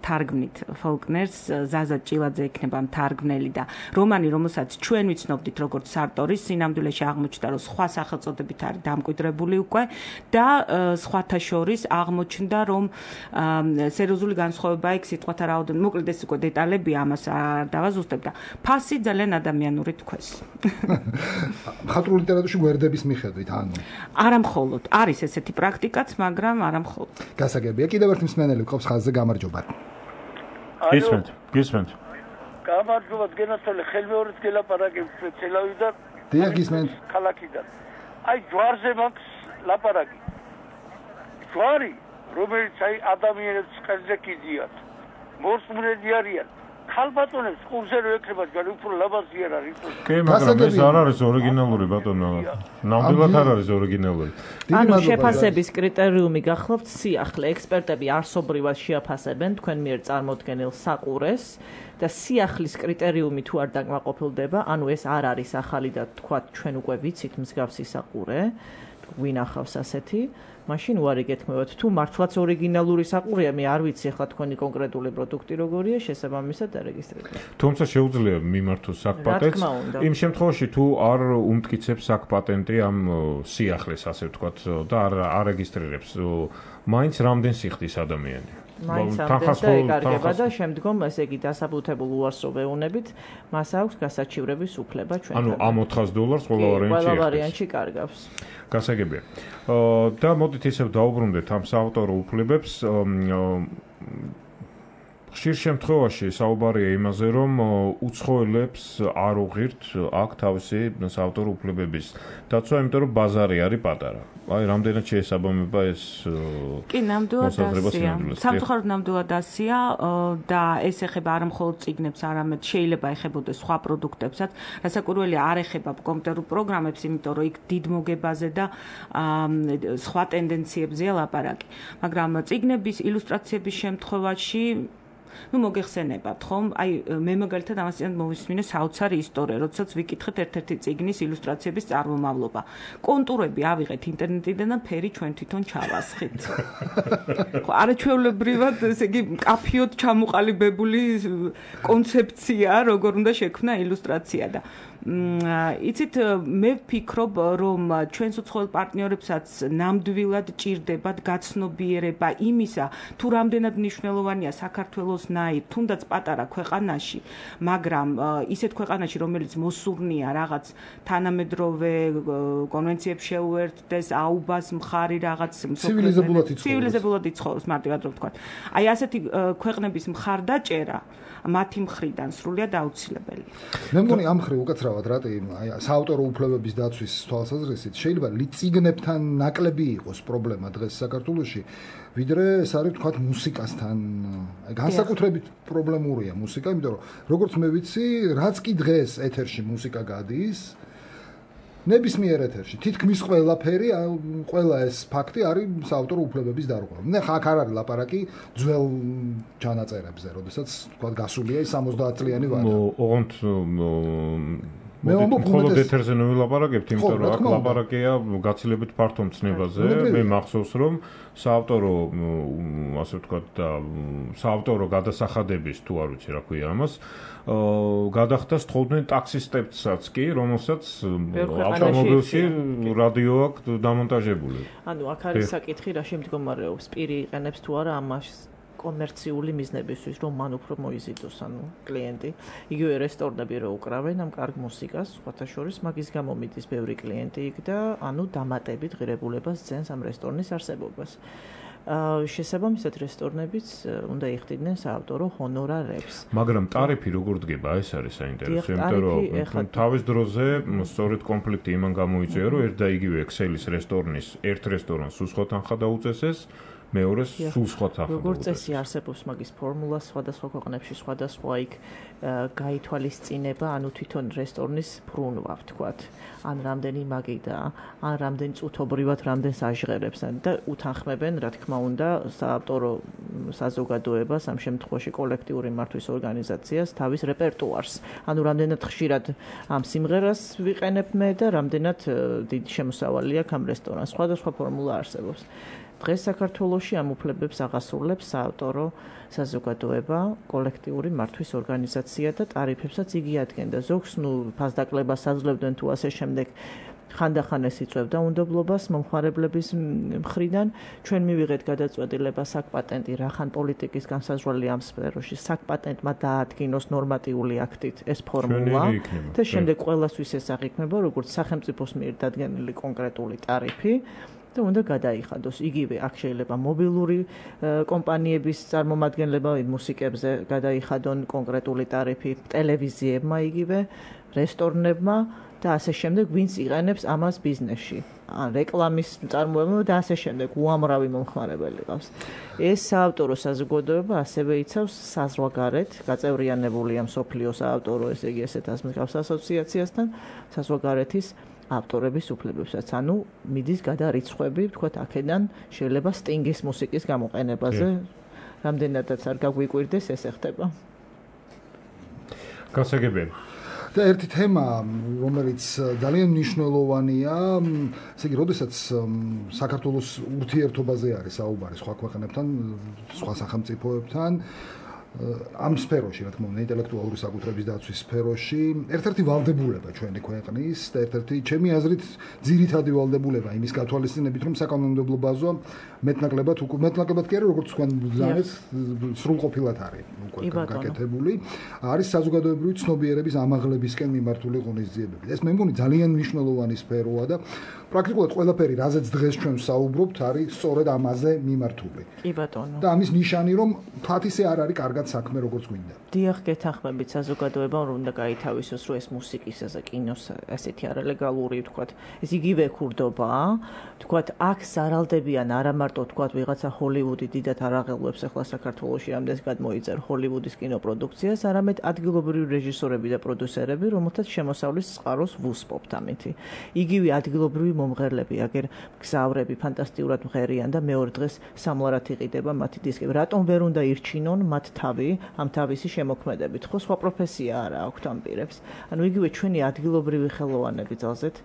თარგმნით ფოლკნერს, ზაზა ჭილაძე იქნება თარგმნელი და რომანი, რომელსაც ჩვენ ვიცნობდით როგორც სარტორის, სინამდვილეში აღმოჩნდა, რომ სხვა სახელწოდებით არის დამკვიდრებული უკვე და სხვათა შორის აღმოჩნდა, რომ სერიოზული განსხვავება იქ სიტყვათა რაოდენობით, მოკლედ ეს უკვე დეტალები ამას არ დავაზუსტებ და ფასი ძალიან ადამიანური თქვეს. მხატვრულ ლიტერატურაში გვერდების მიხედვით, ანუ არა მხოლოდ, არის ესეთი პრაქტიკაც, მაგრამ არა მხოლოდ. გასაგებია, კიდევ ერთი მსმენელი გვყავს ხაზზე, გამარჯობა. გისმენთ. გამარჯობა, გენაცვალე, ხელმეორედ გელაპარაკებ სპეციალურად. დიახ, გისმენთ. ქალაქიდან. აი, ჯვარზე მაქვს ლაპარაკი. ჯვარი, რომელიც აი ადამიანებს ყელზე კიდიათ. მოსმრედი არიან. ხალბატონებს ყურზე რო ეკრება ჯვარი უფრო ლაბაზი არ არის. კი, მაგრამ ეს არ არის ორიგინალური ბატონო. ნამდვილად არ არის ორიგინალური. ანუ შეფასების კრიტერიუმი გახლავთ სიახლე. ექსპერტები არსობრივად შეაფასებენ თქვენ მიერ წარმოდგენილ საყურეს და სიახლის კრიტერიუმი თუ არ დაკმაყოფილდება, ანუ ეს არ არის ახალი და თქვა ჩვენ უკვე ვიცით მსგავსი საყურე, ვინახავს ასეთი. მაშინ უარი გეთქმევათ, თუ მართლაც ორიგინალური საყურეა, მე არ ვიცი ახლა თქვენი კონკრეტული პროდუქტი როგორია, შესაბამისად დარეგისტრირდება. თუმცა შეუძლია მიმართოს საკპატენტს. იმ შემთხვევაში თუ არ უმტკიცებს საკპატენტი ამ სიახლეს, ასე ვთქვათ, და არ არეგისტრირებს, მაინც რამდენ სიხდის ადამიანი. მაინც ამდენს და ეკარგება და შემდგომ ესე იგი დასაბუთებულ უარსო ვეუნებით მას აქვს გასაჩივრების უფლება ჩვენთან. ანუ ამ $400 ყველა ვარიანტში კარგავს. გასაგებია. და მოდით ისევ დაუბრუნდეთ ამ საავტორო უფლებებს. ხშირ შემთხვევაში საუბარია იმაზე, რომ უცხოელებს არ უღირთ აქ თავისი საავტორო უფლებების დაცვა, იმიტომ რომ ბაზარი არის პატარა. აი, რამდენად შეესაბამება ეს კი, ნამდვილად ასია. სამწუხაროდ ნამდვილად ასია და ეს ეხება არა მხოლოდ წიგნებს, არამედ შეიძლება ეხებოდეს სხვა პროდუქტებსაც, რასაკვირველია არ ეხება კომპიუტერულ პროგრამებს, იმიტომ რომ იქ დიდ მოგებაზე და სხვა ტენდენციებზეა ლაპარაკი. მაგრამ წიგნების ილუსტრაციების შემთხვევაში მოგეხსენებათ, ხომ? აი, მე მაგალითად ამასთან მოვისმინე საოცარი ისტორია, როდესაც ვიკითხეთ ერთ-ერთი წიგნის ილუსტრაციების წარმომავლობა. კონტურები ავიღეთ ინტერნეტიდან და ფერი ჩვენ თვითონ ჩავასხით. ხო, არაჩვეულებრივად, ესე იგი, კაფიოდ ჩამოყალიბებული კონცეფცია, როგორ უნდა შექმნა ილუსტრაცია და იცით, მე ვფიქრობ, რომ ჩვენს უცხოელ პარტნიორებსაც ნამდვილად ჭირდებათ გაცნობიერება იმისა, თუ რამდენად მნიშვნელოვანია საქართველოსნაირ, თუნდაც პატარა ქვეყანაში, მაგრამ ისეთ ქვეყანაში, რომელიც მოსურნია რაღაც თანამედროვე კონვენციებს შეუერთდეს, აუბას მხარი რაღაც ცივილიზებულად იცხოვროს, მარტივად რომ ვთქვა. აი, ასეთი ქვეყნების მხარდაჭერა მათი მხრიდან სრულიად აუცილებელია. მე მგონი ამ მხრივ უკაცრავად რატი აი საავტორო უფლებების დაცვის თვალსაზრისით შეიძლება წიგნებთან ნაკლები იყოს პრობლემა დღეს საქართველოში, ვიდრე ეს არის თქვა მუსიკასთან. აი განსაკუთრებით პრობლემურია მუსიკა, იმიტომ რომ როგორც მე ვიცი, რაც კი დღეს ეთერში მუსიკა გადის, ნებისმიერ ეთერში თითქმის ყველაფერი, ყველა ეს ფაქტი არის საავტორო უფლებების დარღვევა. ხა აქ არ არის ლაპარაკი ძველ ჩანაწერებზე, როდესაც თქვა გასულია 70 წლიანი ვადა. ოღონდ მე მხოლოდ ეთერზე ნულაპარაკებთ, იმიტომ რომ აქ ლაპარაკია გაცილებით ფართო მცნებაზე. მე მახსოვს, რომ საავტორო, ასე ვთქვათ, და საავტორო გადასახადების თუ არ ვიცი რა ქვია ამას, გადახდა სწავლდნენ ტაქსისტებსაც კი, რომელსაც ავტომობილში რადიო აქვს დამონტაჟებული. ანუ აქ არის საკითხი, რა შემდგომარეობს, პირი იყენებს თუ არა ამას კომერციული მიზნებისთვის, რომ მან უფრო მოიზიდოს, ანუ კლიენტი. იგივე რესტორნები რო უკრავენ ამ კარგ მუსიკას, სხვათა შორის მაგის გამო მიდის ბევრი კლიენტი იქ და ანუ დამატებით ღირებულებას ძენს ამ რესტორნის არსებობას. შესაბამისად რესტორნებიც უნდა იხდიდნენ საავტორო ჰონორარებს. მაგრამ ტარიფი როგორ დგება, ეს არის საინტერესო, იმიტომ რომ თავის დროზე სწორედ კონფლიქტი იმან გამოიწვია, რომ ერთ და იგივე ექსელის რესტორნის ერთ რესტორანს სულ სხვა თანხა დაუწესეს, მეორეს სულ სხვა თანხა. როგორც წესი არსებობს მაგის ფორმულა სხვადასხვა ქვეყნებში, სხვადასხვა იქ გაითვალისწინება, ანუ თვითონ რესტორნის ბრუნვა, ვთქვათ, ან რამდენი მაგიდა, ან რამდენი წუთობრივად რამდენს აჟღერებს და უთანხმებენ, რა თქმა უნდა, საავტორო საზოგადოებას, ამ შემთხვევაში კოლექტიური მართვის ორგანიზაციას თავის რეპერტუარს. ანუ რამდენად ხშირად ამ სიმღერას ვიყენებ მე და რამდენად დიდი შემოსავალი აქვს ამ რესტორანს. სხვადასხვა ფორმულა არსებობს. დღეს საქართველოში ამ უფლებებს აღასრულებს საავტორო საზოგადოება, კოლექტიური მართვის ორგანიზაცია და ტარიფებსაც იგი ადგენდა. ზოგს ფასდაკლებას აძლევდნენ თუ ასე შემდეგ. ხანდახან ეს იწვევდა უნდობლობას მომხმარებლების მხრიდან. ჩვენ მივიღეთ გადაწყვეტილება საკპატენტი რახან პოლიტიკის განსაზღვრელი ამ სფეროში საკპატენტმა დაადგინოს ნორმატიული აქტით ეს ფორმულა და შემდეგ ყველასთვის ეს აღიქმება როგორც სახელმწიფოს მიერ დადგენილი კონკრეტული ტარიფი. და უნდა გადაიხადოს. იგივე აქ შეიძლება მობილური კომპანიების წარმომადგენლება მუსიკებზე გადაიხადონ კონკრეტული ტარიფი, ტელევიზიებმა იგივე, რესტორნებმა და ასე შემდეგ, ვინც იყენებს ამას ბიზნესში. ან რეკლამის წარმოებმა და ასე შემდეგ, უამრავი მომხმარებელი ყავს. ეს საავტორო საზოგადოება ასევე იცავს საზღვარგარეთ, გაწევრიანებულია მსოფლიო საავტორო, ესე იგი ესეთ ასმის ასოციაციასთან, საზღვარგარეთის ავტორების უფლებებსაც, ანუ მიდის გადარიცხვები, ვთქვათ, აქედან შეიძლება სტინგის მუსიკის გამოყენებაზე, რამდენადაც არ გაგვიკვირდეს, ეს ეხება. გასაგებია. და ერთი თემა, რომელიც ძალიან მნიშვნელოვანია, ესე იგი, როდესაც საქართველოს ურთიერთობაზე არის საუბარი სხვა ქვეყნებთან, სხვა სახელმწიფოებთან, ამ სფეროში, რა თქმა უნდა, ინტელექტუალური საკუთრების დაცვის სფეროში, ერთ-ერთი ვალდებულება ჩვენი ქვეყნის და ერთ-ერთი ჩემი აზრით ძირითადი ვალდებულება იმის გათვალისწინებით, რომ საკანონმდებლო ბაზა მეტნაკლებად კი არა, როგორც თქვენ ბრძანეთ, სრულყოფილად არის უკვე გაკეთებული, არის საზოგადოებრივი ცნობიერების ამაღლებისკენ მიმართული ღონისძიებები. ეს მე მგონი ძალიან მნიშვნელოვანი სფეროა და პრაქტიკულად ყველაფერი, რაზეც დღეს ჩვენ ვსაუბრობთ, არის სწორედ ამაზე მიმართული. კი ბატონო. და ამის ნიშანი, რომ ფათ ისე არ არის კარგად მათ საქმე როგორც გვინდა. დიახ, გეთანხმებით საზოგადოებამ რომ უნდა გაითავისოს რომ ეს მუსიკისა და კინოს ასეთი არალეგალური ვთქვათ, ეს იგივე ქურდობაა, ვთქვათ, აქ სარალდებიან არა მარტო ვთქვათ ვიღაცა ჰოლივუდი დიდად არ აღელვებს ახლა საქართველოში რამდენს გადმოიწერა ჰოლივუდის კინოპროდუქციას, არამედ ადგილობრივი რეჟისორები და პროდიუსერები, რომელთაც შემოსავლის წყაროს ვუსპობთ ამითი. იგივე ადგილობრივი მომღერლები, აგერ გზავრები ფანტასტიკურად მღერიან და მეორე დღეს სამლარად იყიდება მათი დისკები. რატომ ვერ უნდა ირჩინონ მათ თავი ამ თავისი შემოქმედებით? ხო, სხვა პროფესია არა აქვთ ამ პირებს. ანუ იგივე ჩვენი ადგილობრივი ხელოვანები ძალზედ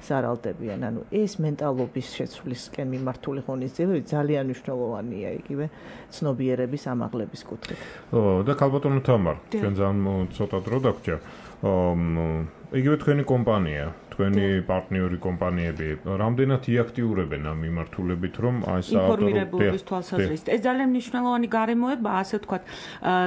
სარალდებიან. ანუ ეს მენტალობის შეცვლისკენ მიმართული ღონისძიებები ძალიან მნიშვნელოვანია იგივე ცნობიერების ამაღლების კუთხით. და ქალბატონო თამარ, ჩვენ ძალიან ცოტა დრო დაგვჭირ. იგივე თქვენი კომპანია, თქვენი პარტნიორი კომპანიები რამდენად იაქტიურებენ ამ მიმართულებით, რომ აი ინფორმირებულობის თვალსაზრისით. ეს ძალიან მნიშვნელოვანი გარემოებაა, ასე ვთქვათ.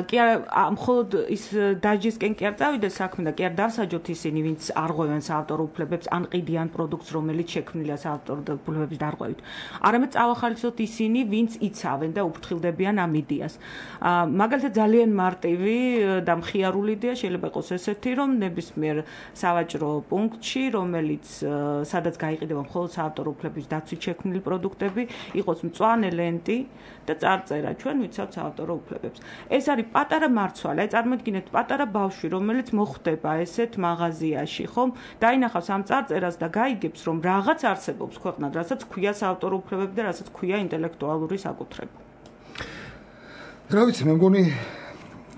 კი არა, მხოლოდ ის დაჯისკენ კი არ წავიდეს საქმე და კი არ დავსაჯოთ ისინი, ვინც არღვევენ საავტორო უფლებებს, ან ყიდიან პროდუქტს, რომელიც შექმნილია საავტორო უფლებების დარღვევით. არამედ წავახალისოთ ისინი, ვინც იცავენ და უფრთხილდებიან ამ იდეას. მაგალითად ძალიან მარტივი და მხიარული იდეა შეიძლება იყოს ესეთი, რომ ნებისმიერ სავაჭრო პუნქტში, რომელიც სადაც გაიყიდება მხოლოდ საავტორო უფლების დაცვით შექმნილი პროდუქტები, იყოს მწვანე ლენტი და წარწერა ჩვენ ვიცავთ საავტორო უფლებებს. ეს არის პატარა მარცვალე, აი წარმოიდგინეთ პატარა ბავშვი, რომელიც მოხვდება ესეთ მაღაზიაში, ხომ? დაინახავს ამ წარწერას და გაიგებს, რომ რაღაც არსებობს ქვეყნად, რასაც ქვია საავტორო უფლებები და რასაც ქვია ინტელექტუალური საკუთრება. რა ვიცი, მე მგონი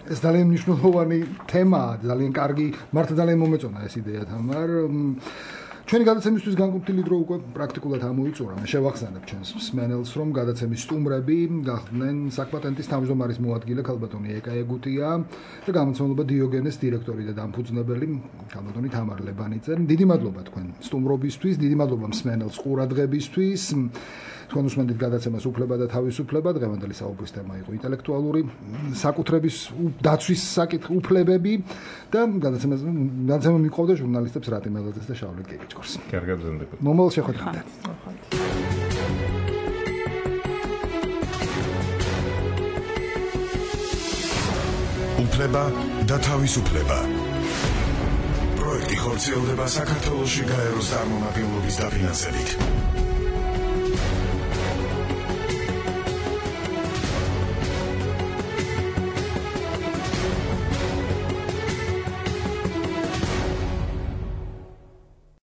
ეს ძალიან მნიშვნელოვანი თემაა, ძალიან კარგი, მართლა ძალიან მომეწონა ეს იდეა თამარ. ჩვენი გადაცემისთვის განკუთვნილი დრო უკვე პრაქტიკულად ამოიწურა. მე შევახსენებ ჩვენს მსმენელს, რომ გადაცემის სტუმრები გახდნენ საკპატენტის თავმჯდომარის მოადგილე ქალბატონი ეკა ეგუტია და გამომცემლობა დიოგენეს დირექტორი და დამფუძნებელი ქალბატონი თამარ ლებანიძე. დიდი მადლობა თქვენ სტუმრობისთვის, დიდი მადლობა მსმენელს ყურადღებისთვის. თქვენ უსმენთ გადაცემას უფლება და თავისუფლება. დღევანდელი საუბრის თემა იყო ინტელექტუალური საკუთრების დაცვის უფლებები და გადაცემა მიყვავდა ჟურნალისტებს რატი მელაძეს და შავლეთ გეგეჭკორს. კარგად ზენდებოდ. მომავალ შეხვედრამდე. უფლება და თავისუფლება. პროექტი ხორციელდება საქართველოში გაეროს წარმომადგენლობის დაფინანსებით.